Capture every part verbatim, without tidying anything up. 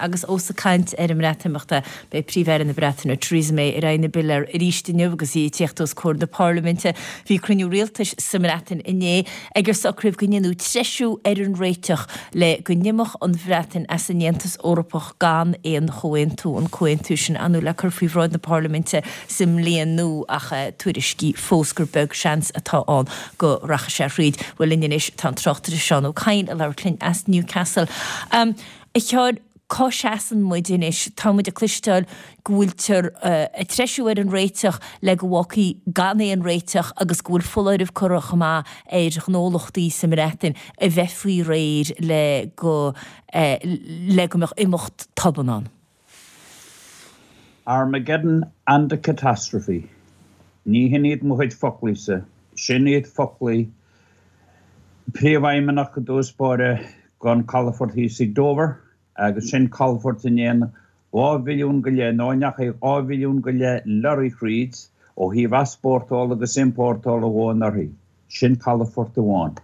Agus ós ag caint ar an mBreatimeacht, beidh Príomh-Aire na Breataine Theresa May ar aghaidh na bpiléar arís inniu agus í ag tíocht os comhair na Parlaiminte. Bhí cruinniú rialtais sa mBreatain inné ag ar socraíodh go ndéanfaí treisiú ar an réiteach le go n-imeodh an Bhreatain as an Aontas Eorpach gan aon chomhaontú, an comhaontú sin ar ndóigh le cur faoi bhráid na Parlaiminte sa mbliain nua ach tuairiscí fós gur beag seans atá ann go rachaidh sé thríd. Bhuel linn anois tá an tráchtaire Seán Ó Cadhain ag labhairt linn as Newcastle. Um, a Sheáin, cá seasann muid anois? Tá muid ag cloisteáil go bhfuiltear ag treisiú ar an réiteach le go bhfágfaí gan aon réiteach agus go bhfuil foláireamh curtha chomh maith ar ghnólachtaí sa mBreatain a bheith faoi réir le go le go mbeadh imeacht tobann ann. Armageddon and a catastrophe. Ní hin iad mo chuid foclaíosa, sin iad foclaí príomhfheidhmeannach i dtús báire don calafort thíos ag Dover, agus sin calafort a ndéan dhá mhilliún go leith nó ndeachaigh dhá mhilliún go leith lorry thríd ó thaobh easpórtála agus iompórtála dhó anuraidh. Sin calafort amháin.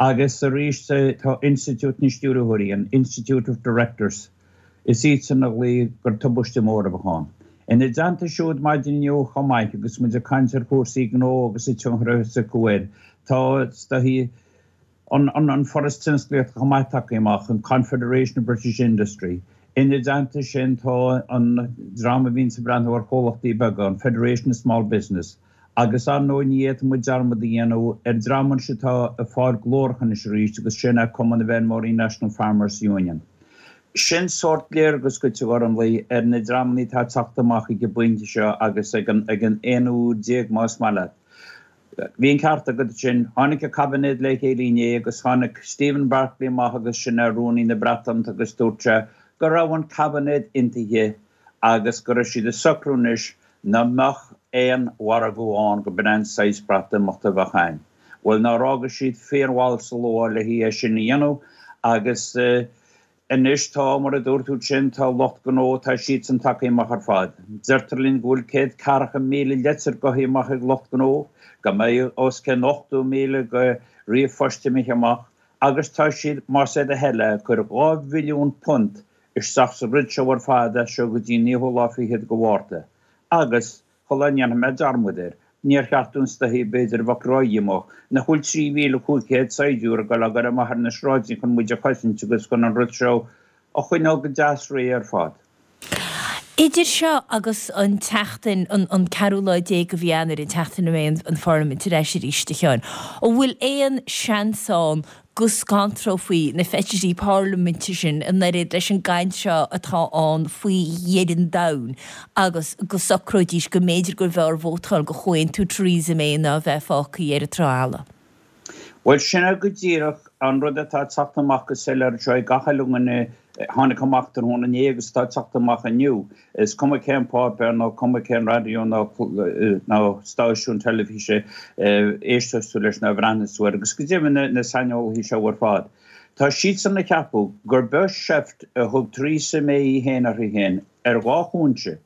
Agus arís tá Institiúid na Stiúrthóirí, an Institute of Directors, is iadsan a ghlaoigh gur tubaiste mór a bheadh ann. Ina dteannta siúd maidin inniu chomh maith agus muid ag caint ar chúrsaí gnó agus an tionchar a bheas acu air, tá an an Foras Tionsclaíochta chomh maith tagtha amach, an Confederation of British Industry. Ina dteannta sin tá an dream a bhíonn ag breathnú ar chomhlachtaí beaga, an Federation of Small Business, agus ar ndóigh ní fhéadfaidh muid dearmad a dhéanamh ar dream anseo atá ag fáil glórach anois arís agus sin é Cumann na bhFeirmeoirí National Farmers Union. Sin sórt léargas duit a Ghormlaí ar na dreamanna atá ag teacht amach ag an bpointe seo agus ag an ag an aon uair déag más maith leat. Bhí an ceart agat sin. Tháinig an caibinéad le chéile inné agus tháinig Stephen Barclay amach agus sin é Rúnaí na Breataine agus dúirt sé go raibh an caibinéad aontaithe agus go raibh siad ag socrú anois nach mbeadh aon mhargadh ann go b'in an saghas Breatimeachta a bheadh ann. Bhuel nár fhága siad fíormhall sa luath le é sin a dhéanamh agus Anois tá, mar a dúirt tú ansin, tá lucht gnó, tá siadsan tagtha amach ar fad. Deirtear linn go bhfuil céad ceathracha míle leitir goithe amach ag lucht gnó, go mbeidh os cionn ochtó míle de ríomhphoist imithe amach agus tá siad, más é do thoil é, ag cur dhá bhilliún punt isteach sa rud seo ar fad as seo go dtí an naoú lá fichead de Mhárta. Agus, shula ndéanfaidh mé dearmad air, níor cheart dúinn istoíche b'fhéidir a bheadh ródhíomách nach bhfuil trí mhíle cúig chéad saighdiúir ag dul á gcur amach ar na sráideanna chun muid a chosaint agus chun an rud seo a choinneáil go deas réidh ar fad. Idir seo agus an tseachtain, an ceathrú lá déag de mhí Eanáir, an tseachtain a mbeidh an Pharlaimint ar ais arís, a Sheáin, an bhfuil aon seans ann go scanrófaí na feisirí parlaiminte sin an oiread leis an gcaint seo atá ann faoi dheireadh an domhain agus go socróidís go mb'fhéidir gurbh fhearr vótáil do chomhaontú Theresa May ná a bheith fágtha ar an trá fhalla. Bhuel, sin é go díreach an rud atá ag teacht amach go soiléir anseo ag gach uile dhuine a tháinig amach tráthnóna inné agus atá ag teacht amach inniu. Is cuma cén páipéar nó cuma cén raidió nó nó stáisiún teilifíse a éisteas tú leis nó a bhreathnas tú air, agus go deimhin na saineolaithe seo ar fad, tá siadsan ag ceapadh gur beag seift a thug Theresa May í féin uirthi féin ar dhá chúinse.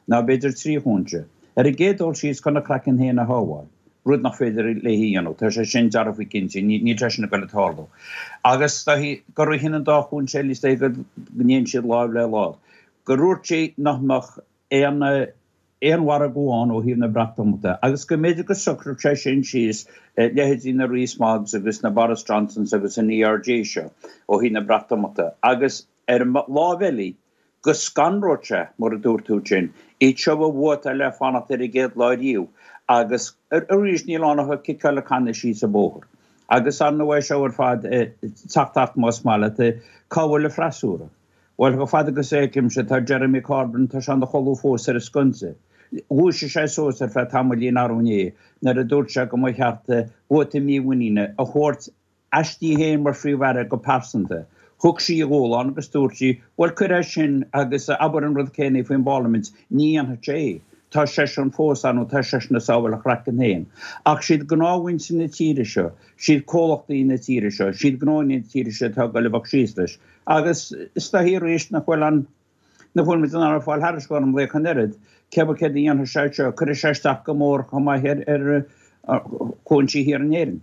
nó b'fhéidir trí chúinse. Ar an gcéad dul síos chun a craiceann féin a shábháil, rud nach féidir léi a dhéanamh, tá sé sin dearfa cinnte, níl sé sin ag dul ag tarlú. Agus gurb shin an dá chúinse eile, is dóigh go ndéanann siad lámh le lámh, gur dhúirt sí nach mbeadh aon aon mhargadh ann ó thaobh na Breatimeachta, agus go mb'fhéidir go socródh sé sin síos leithéidí na Rees-Moggs agus na Boris Johnsons agus an ERG seo ó thaobh na Breatimeachta. Agus ar an lámh eile, go scanródh sé, mar a dúirt tú ansin, iad seo a vótáil le fanacht ar an gcéad lá riamh agus arís níl ann ach ag ciceáil an canna síos an bóthar. Agus ar ndóigh é seo ar fad ag teacht ach más maith leat, cá bhfuil an freasúra? Bhuel, chomh fada agus a fheicimse, tá Jeremy Corbyn, tá sé ina chodladh fós ar an sconsa. Dhúisigh sé suas ar feadh tamaillín arú inné nuair a dúirt sé go mba cheart vóta mímhuiníne a thabhairt aisti féin mar Phríomh-Aire go pearsanta. Thug sí a dhúshlán agus dúirt sí, Bhuel, cuir é sin agus abair an rud céanna faoin bParlaimint, ní dhéanfaidh sé é. Tá seisean fós ann nó tá seisean ag sábháil a chraicinn féin. Ach siad gnáthmhuintir na tíre seo, siad comhlachtaí na tíre seo, siad gnóanna na tíre seo atá ag dul a bheith síos leis. Agus is dóichí arís nach bhfuil an, nach bhfuil muid in ann fáil thairis Ghormlaí ach an oiread, cé céard a dhéanfaidh sé seo, cuirfidh sé isteach go mór chomh maith ar, ar chúinsí thiar in Éirinn.